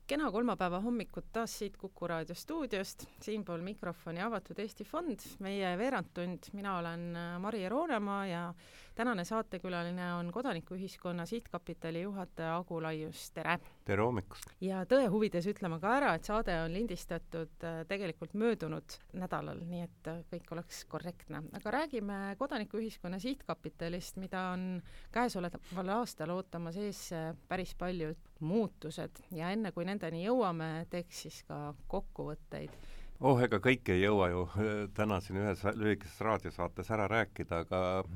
Kena kolmapäeva hommikut taas siit Kuku Raadio stuudiost, siinpool mikrofoni Avatud Eesti Fond, meie veerandtund, mina olen Mari Roonemaa ja tänane saatekülaline on Kodanikuühiskonna Sihtkapitali juhataja Agu Laius, tere! Tere hommikust! Ja tõe huvides ütleme ka ära, et saade on lindistatud tegelikult möödunud nädalal, nii et kõik oleks korrektne. Aga räägime Kodanikuühiskonna Sihtkapitalist, mida on käesoleval aastal ootamas ees päris palju muutused ja enne kui nendeni jõuame, teeks siis ka kokkuvõtteid. Ega kõik ei jõua ju täna siin ühes lühikeses raadiosaates ära rääkida, aga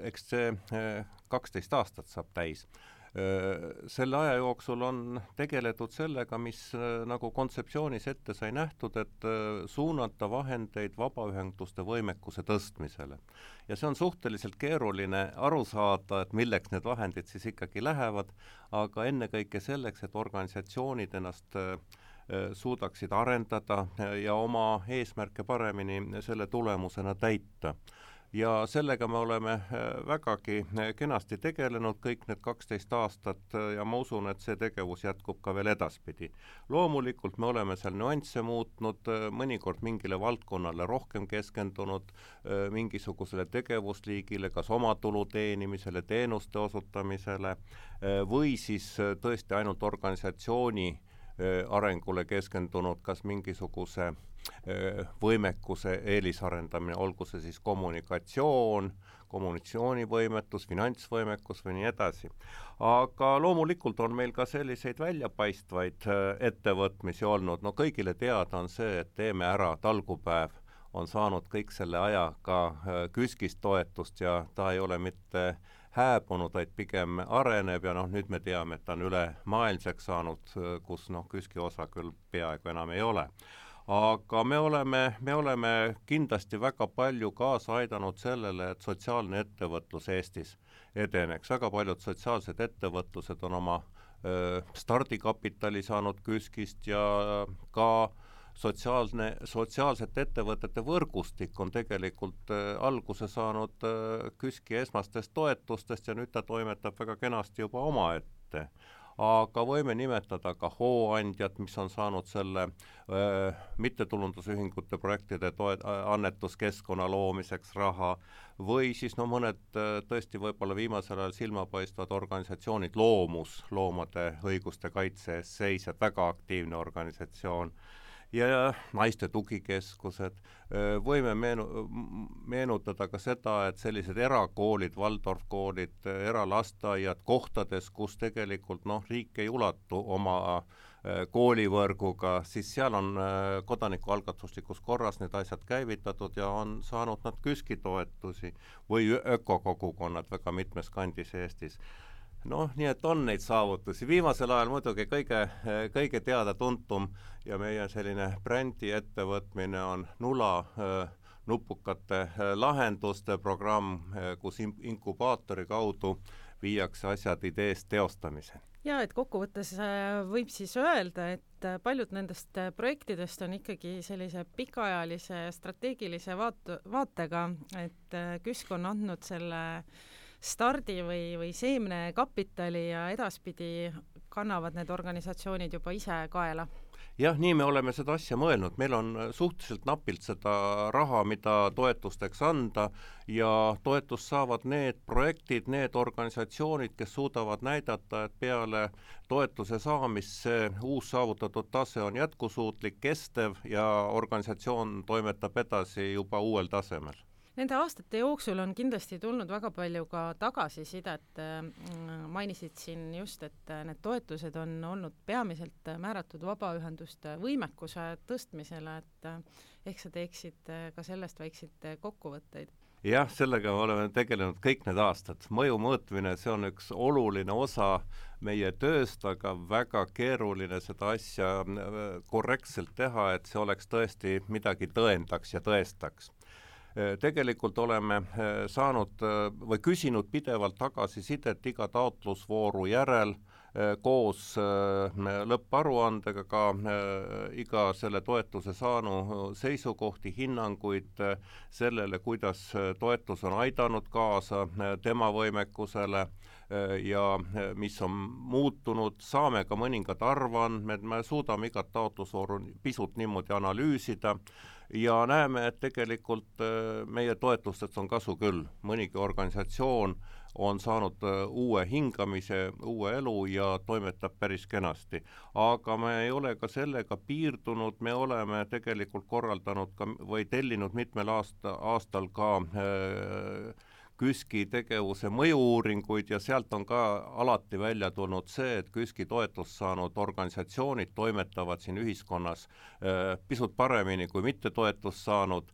eks see 12 aastat saab täis. Selle aja jooksul on tegeletud sellega, mis nagu kontseptsioonis ette sai nähtud, et suunata vahendeid vabaühenduste võimekuse tõstmisele. Ja see on suhteliselt keeruline aru saada, et milleks need vahendid siis ikkagi lähevad, aga ennekõike selleks, et organisatsioonid ennast suudaksid arendada ja oma eesmärke paremini selle tulemusena täita. Ja sellega me oleme vägagi kenasti tegelenud kõik need 12 aastat ja ma usun, et see tegevus jätkub ka veel edaspidi. Loomulikult me oleme seal nüansse muutnud, mõnikord mingile valdkonnale rohkem keskendunud, mingisugusele tegevusliigile, kas oma tulu teenimisele, teenuste osutamisele või siis tõesti ainult organisatsiooni arengule keskendunud, kas mingisuguse võimekuse eelisarendamine, olgu see siis kommunikatsioonivõimetus, finantsvõimekus või nii edasi. Aga loomulikult on meil ka selliseid väljapaistvaid ettevõtmisi olnud. No kõigile teada on see, et Teeme ära talgupäev on saanud kõik selle aja ka KÜSK-ist toetust ja ta ei ole mitte hääbunud, vaid pigem areneb ja nüüd me teame, et ta on üle maailmseks saanud, kus KÜSK-i osa küll peaaegu enam ei ole. Aga me oleme kindlasti väga palju kaasa aidanud sellele, et sotsiaalne ettevõtlus Eestis edeneks. Väga paljud sotsiaalsed ettevõtlused on oma stardikapitali saanud KÜSK-ist ja ka sotsiaalsete ettevõtete võrgustik on tegelikult alguse saanud KÜSK-i esmastest toetustest ja nüüd ta toimetab väga kenasti juba omaette. Aga võime nimetada ka hooandjad, mis on saanud selle mittetulundusühingute projektide annetuskeskkonna loomiseks raha või siis mõned tõesti võib-olla viimasel ajal silmapaistvad organisatsioonid, loomade õiguste kaitse eest seisjad, väga aktiivne organisatsioon ja naiste tugikeskused. Võime meenutada ka seda, et sellised erakoolid, Waldorfkoolid, eralasteaiad kohtades, kus tegelikult riik ei ulatu oma koolivõrguga, siis seal on kodanikualgatuslikus korras need asjad käivitatud ja on saanud nad KÜSK-i toetusi või ökokogukonnad väga mitmes kandis Eestis. Nii et on neid saavutusi. Viimasel ajal muidugi kõige teada-tuntum ja meie selline brändi ettevõtmine on Nula nupukate lahenduste programm, kus inkubaatori kaudu viiakse asjad ideest teostamise. Ja, et kokkuvõttes võib siis öelda, et paljud nendest projektidest on ikkagi sellise pikaajalise strateegilise vaatega, et KÜSK on andnud selle stardi või seemne kapitali ja edaspidi kannavad need organisatsioonid juba ise kaela. Jah, nii me oleme seda asja mõelnud. Meil on suhteliselt napilt seda raha, mida toetusteks anda ja toetust saavad need projektid, need organisatsioonid, kes suudavad näidata, et peale toetuse saamist see uus saavutatud tase on jätkusuutlik, kestev ja organisatsioon toimetab edasi juba uuel tasemel. Nende aastate jooksul on kindlasti tulnud väga palju ka tagasisidet. Mainisid siin just, et need toetused on olnud peamiselt määratud vabaühenduste võimekuse tõstmisele, et ehk sa teeksid ka sellest väikseid kokkuvõtteid. Jah, sellega oleme tegelenud kõik need aastad. Mõju mõõtmine, see on üks oluline osa meie tööst, aga väga keeruline seda asja korrektselt teha, et see oleks tõesti midagi tõendaks ja tõestaks. Tegelikult oleme saanud või küsinud pidevalt tagasisidet iga taotlusvooru järel koos lõpparuandega ka iga selle toetuse saanu seisukohti, hinnanguid sellele, kuidas toetus on aidanud kaasa tema võimekusele, ja mis on muutunud, saame ka mõningad arvandmed, me suudame igat taotlusvooru pisut niimoodi analüüsida ja näeme, et tegelikult meie toetustest on kasu küll. Mõnigi organisatsioon on saanud uue hingamise, uue elu ja toimetab päris kenasti. Aga me ei ole ka sellega piirdunud, me oleme tegelikult korraldanud ka, või tellinud mitmel aastal ka KÜSK-i tegevuse mõju-uuringuid ja sealt on ka alati välja tulnud see, et KÜSK-i toetust saanud organisatsioonid toimetavad siin ühiskonnas pisut paremini kui mitte toetust saanud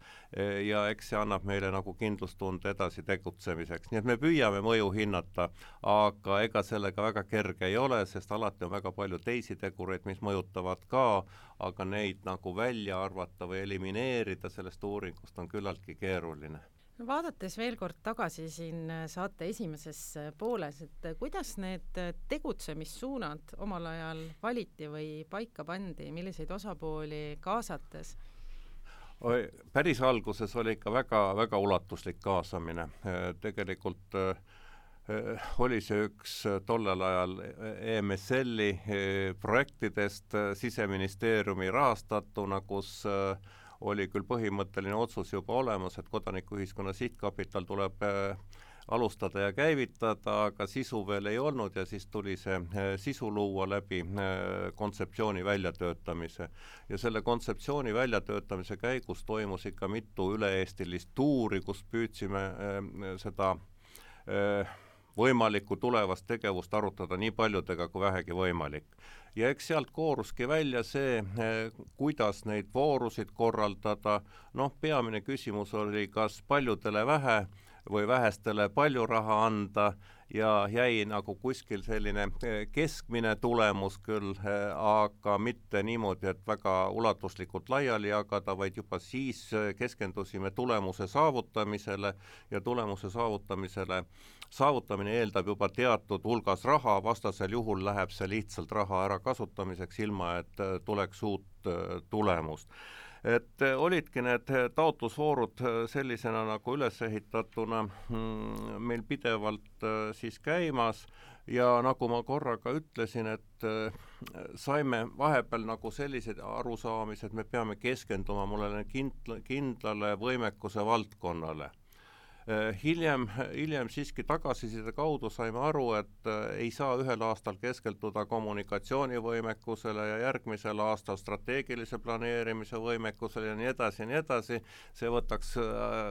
ja eks see annab meile nagu kindlustunde edasi tegutsemiseks. Nii et me püüame mõju hinnata, aga ega sellega väga kerge ei ole, sest alati on väga palju teisi tegureid, mis mõjutavad ka, aga neid nagu välja arvata või elimineerida sellest uuringust on küllaltki keeruline. Vaadates veel kord tagasi siin saate esimeses pooles, et kuidas need tegutsemissuunad omal ajal valiti või paika pandi, milliseid osapooli kaasates? Päris alguses oli ikka väga ulatuslik kaasamine. Tegelikult oli see üks tollel ajal EMSL-i projektidest Siseministeeriumi rahastatuna, kus oli küll põhimõtteline otsus juba olemas, et kodanikuühiskonna sihtkapital tuleb alustada ja käivitada, aga sisu veel ei olnud ja siis tuli see sisu luua läbi kontseptsiooni väljatöötamise. Ja selle kontseptsiooni väljatöötamise käigus toimus ikka mitu üle-eestilist tuuri, kus püüdsime seda võimalikku tulevast tegevust arutada nii paljudega kui vähegi võimalik. Ja eks sealt kooruski välja see, kuidas neid voorusid korraldada. Peamine küsimus oli, kas paljudele vähe või vähestele palju raha anda ja jäi nagu kuskil selline keskmine tulemus küll, aga mitte niimoodi, et väga ulatuslikult laiali jagada, vaid juba siis keskendusime tulemuse saavutamisele ja tulemuse saavutamine eeldab juba teatud hulgas raha, vastasel juhul läheb see lihtsalt raha ära kasutamiseks, ilma et tuleks uut tulemust. Et olidki need taotlusvoorud sellisena nagu üles ehitatuna meil pidevalt siis käimas ja nagu ma korraga ütlesin, et saime vahepeal nagu sellised arusaamised, me peame keskenduma mulle kindlale võimekuse valdkonnale. Hiljem siiski tagasiside kaudu saime aru, et ei saa ühel aastal keskelduda kommunikatsioonivõimekusele ja järgmisel aastal strateegilise planeerimise võimekusele ja nii edasi. See võtaks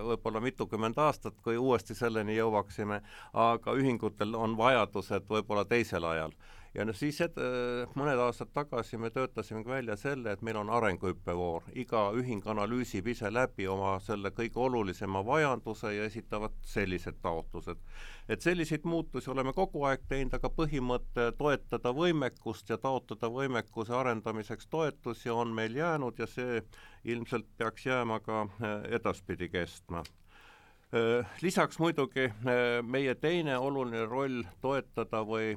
võib-olla mitukümmend aastat, kui uuesti selleni jõuaksime, aga ühingutel on vajadused võib-olla teisel ajal. Ja siis mõned aastad tagasi me töötasime välja selle, et meil on arenguhüppevoor. Iga ühing analüüsib ise läbi oma selle kõige olulisema vajaduse ja esitavad sellised taotlused. Et selliseid muutusi oleme kogu aeg teinud, aga põhimõte toetada võimekust ja taotada võimekuse arendamiseks toetusi on meil jäänud ja see ilmselt peaks jääma ka edaspidi kestma. Lisaks muidugi meie teine oluline roll toetada või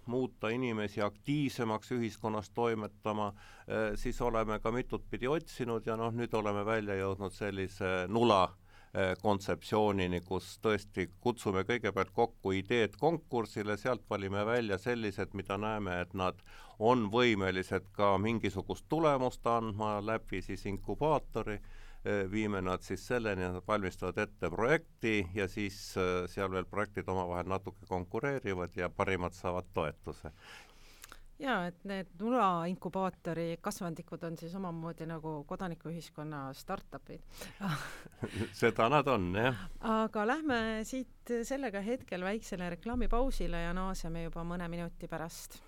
muuta inimesi aktiivsemaks ühiskonnas toimetama, siis oleme ka mitut pidi otsinud ja nüüd oleme välja jõudnud sellise nula kontseptsioonini, kus tõesti kutsume kõigepealt kokku ideed konkursile, sealt valime välja sellised, mida näeme, et nad on võimelised ka mingisugust tulemust andma läbi siis inkubaatori, viime nad siis selleni, nad valmistavad ette projekti ja siis seal veel projektid omavahel natuke konkureerivad ja parimad saavad toetuse. Ja, et need nula inkubaatori kasvandikud on siis omamoodi nagu kodanikuühiskonna startupid. Seda nad on, jah. Aga lähme siit sellega hetkel väiksele reklaamipausile ja naaseme juba mõne minuti pärast.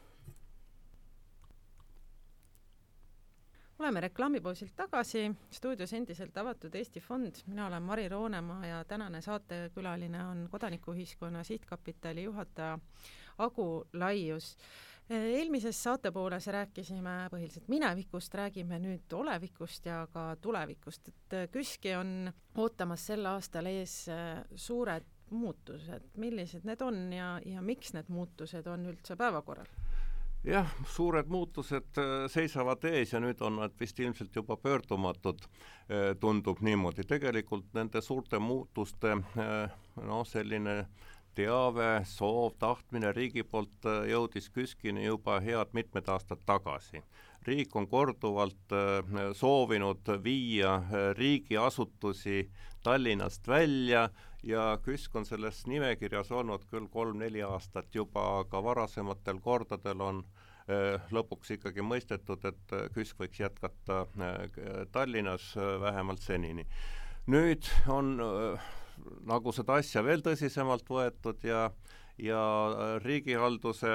Oleme reklaamipausilt tagasi, stuudios endiselt avatud Eesti Fond. Mina olen Mari Roonemaa ja tänane saatekülaline on kodanikuühiskonna sihtkapitali juhataja Agu Laius. Eelmises saatepooles rääkisime põhiliselt minevikust, räägime nüüd olevikust ja ka tulevikust. Et KÜSK-i on ootamas sel aastal ees suured muutused. Millised need on ja miks need muutused on üldse päevakorral? Jah, suured muutused seisavad ees ja nüüd on nad vist ilmselt juba pöördumatud, tundub niimoodi. Tegelikult nende suurte muutuste selline teave, soov, tahtmine riigi poolt jõudis KÜSK-ini juba head mitmed aastad tagasi. Riik on korduvalt soovinud viia riigiasutusi Tallinnast välja ja KÜSK on selles nimekirjas olnud küll 3-4 aastat juba, aga varasematel kordadel on lõpuks ikkagi mõistetud, et KÜSK võiks jätkata Tallinnas vähemalt senini. Nüüd on nagu seda asja veel tõsisemalt võetud ja riigihalduse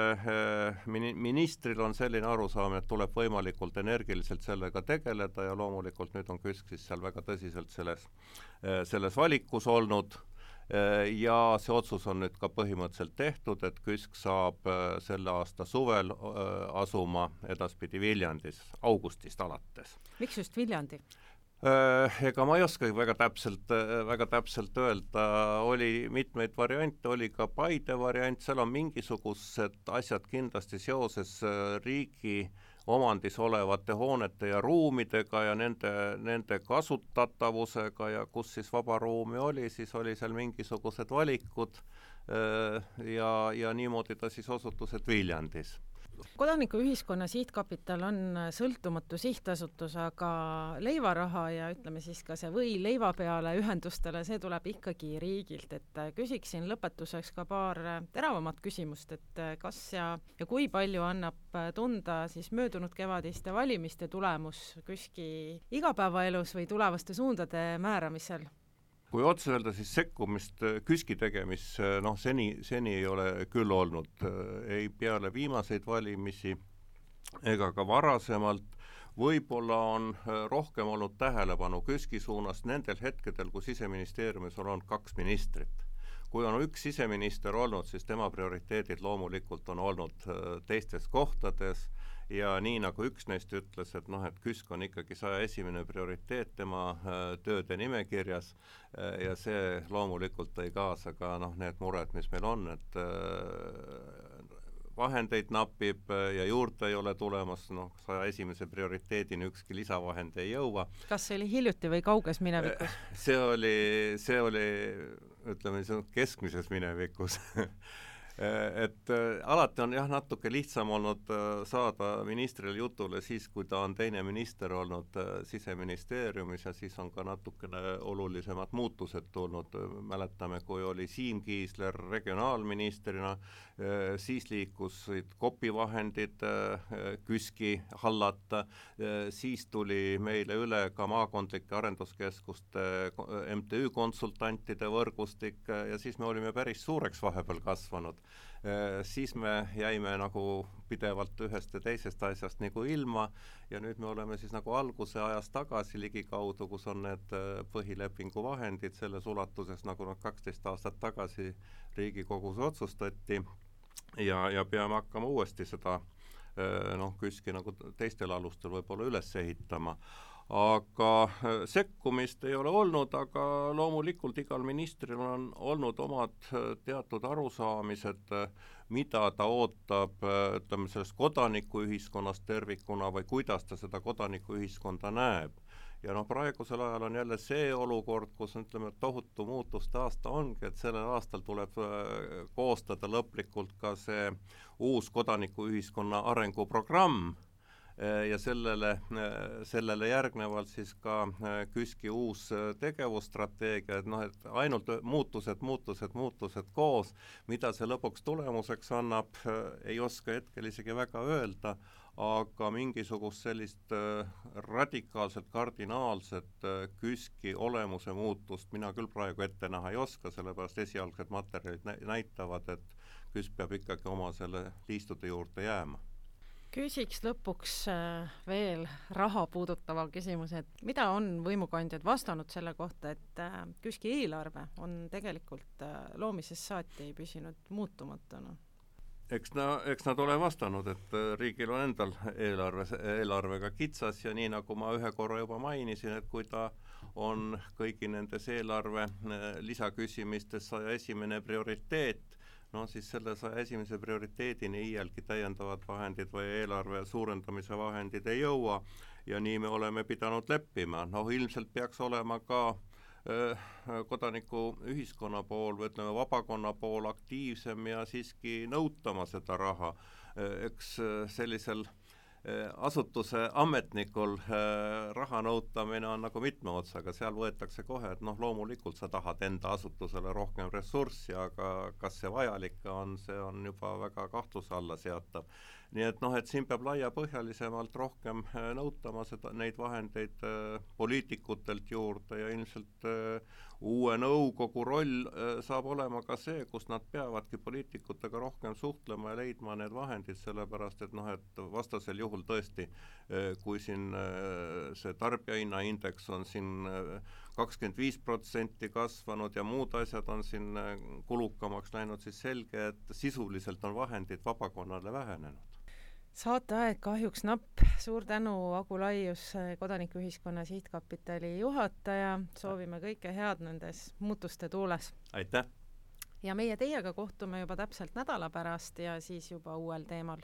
ministril on selline arusaam, et tuleb võimalikult energiliselt sellega tegeleda ja loomulikult nüüd on KÜSK siis seal väga tõsiselt selles valikus olnud ja see otsus on nüüd ka põhimõtteliselt tehtud, et KÜSK saab selle aasta suvel asuma edaspidi Viljandis augustist alates. Miks just Viljandi? Ega ma ei oskagi väga täpselt öelda, oli mitmeid variante, oli ka Paide variant, seal on mingisugused asjad kindlasti seoses riigi omandis olevate hoonete ja ruumidega ja nende kasutatavusega ja kus siis vaba ruumi oli, siis oli seal mingisugused valikud ja niimoodi ta siis osutus, et Viljandis. Kodanikuühiskonna sihtkapital on sõltumatu sihtasutus, aga leivaraha ja ütleme siis ka see või leiva peale ühendustele, see tuleb ikkagi riigilt, et küsiksin lõpetuseks ka paar teravamat küsimust, et kas ja kui palju annab tunda siis möödunud kevadiste valimiste tulemus KÜSK-i igapäevaelus või tulevaste suundade määramisel? Kui otse öelda, siis sekkumist KÜSK-i tegemis, seni ei ole küll olnud, ei peale viimaseid valimisi ega ka varasemalt. Võib-olla on rohkem olnud tähelepanu KÜSK-i suunas nendel hetkedel, kui Siseministeeriumis on olnud 2 ministrit. Kui on üks siseminister olnud, siis tema prioriteedid loomulikult on olnud teistes kohtades ja nii nagu üks neist ütles, et KÜSK on ikkagi 101. prioriteet tema tööde nimekirjas ja see loomulikult tõi kaasa ka need mured, mis meil on, et vahendeid napib ja juurde ei ole tulemas, 101. prioriteedini ükski lisavahend ei jõua. Kas see oli hiljuti või kauges minevikus? See oli ütleme, keskmises minevikus. Et alati on natuke lihtsam olnud saada ministrile jutule siis, kui ta on teine minister olnud Siseministeeriumis ja siis on ka natukene olulisemad muutused tulnud. Mäletame, kui oli Siim Kiisler regionaalministrina, siis liikusid kopivahendid KÜSK-i hallata, siis tuli meile üle ka maakondlike arenduskeskuste MTÜ konsultantide võrgustik ja siis me olime päris suureks vahepeal kasvanud. Siis me jäime nagu pidevalt ühest ja teisest asjast nagu ilma ja nüüd me oleme siis nagu alguse ajas tagasi ligikaudu, kus on need põhilepingu vahendid selles ulatuses, nagu 12 aastat tagasi Riigikogus otsustati ja peame hakkama uuesti seda KÜSK-i nagu teistel alustel võib-olla üles ehitama. Aga sekkumist ei ole olnud, aga loomulikult igal ministril on olnud omad teatud arusaamised, mida ta ootab, ütleme, sellest kodanikuühiskonnast tervikuna või kuidas ta seda kodanikuühiskonda näeb. Ja praegusel ajal on jälle see olukord, kus ütleme, tohutu muutuste aasta ongi, et sellel aastal tuleb koostada lõplikult ka see uus kodanikuühiskonna arenguprogramm, ja sellele järgnevalt siis ka KÜSK-i uus tegevusstrateegia, et ainult muutused koos, mida see lõpuks tulemuseks annab, ei oska hetkel isegi väga öelda, aga mingisugust sellist radikaalselt, kardinaalset KÜSK-i olemuse muutust mina küll praegu ette näha ei oska, sellepärast esialgsed materjalid näitavad, et KÜSK peab ikkagi oma selle liistude juurde jääma. Küsiks lõpuks veel raha puudutava küsimuse, et mida on võimukandjad vastanud selle kohta, et KÜSK-i eelarve on tegelikult loomisest saati püsinud muutumatuna? Eks nad ole vastanud, et riigil on endal eelarvega kitsas ja nii nagu ma ühe korra juba mainisin, et kui ta on kõigi nendes eelarve lisaküsimistes 101. prioriteet, siis selle 101. prioriteedini iialgi täiendavad vahendid või eelarve suurendamise vahendid ei jõua ja nii me oleme pidanud leppima. Ilmselt peaks olema ka kodanikuühiskonna pool või ütleme, vabakonna pool aktiivsem ja siiski nõutama seda raha. Eks sellisel asutuse ametnikul raha nõutamine on nagu mitme otsaga, seal võetakse kohe, et loomulikult sa tahad enda asutusele rohkem ressurssi, aga kas see vajalik on, see on juba väga kahtluse alla seatav. Nii et et siin peab laiapõhjalisemalt rohkem nõutama neid vahendeid poliitikutelt juurde ja ilmselt uue nõukogu roll saab olema ka see, kus nad peavadki poliitikutega rohkem suhtlema ja leidma need vahendid, sellepärast et et vastasel juhul tõesti, kui siin see tarbijahinnaindeks on siin 25% kasvanud ja muud asjad on siin kulukamaks läinud, siis selge, et sisuliselt on vahendid vabakonnale vähenenud. Saateaeg kahjuks napp. Suur tänu, Agu Laius, Kodanikuühiskonna Sihtkapitali juhataja. Soovime kõike head nendes muutuste tuules. Aitäh! Ja meie teiega kohtume juba täpselt nädala pärast ja siis juba uuel teemal.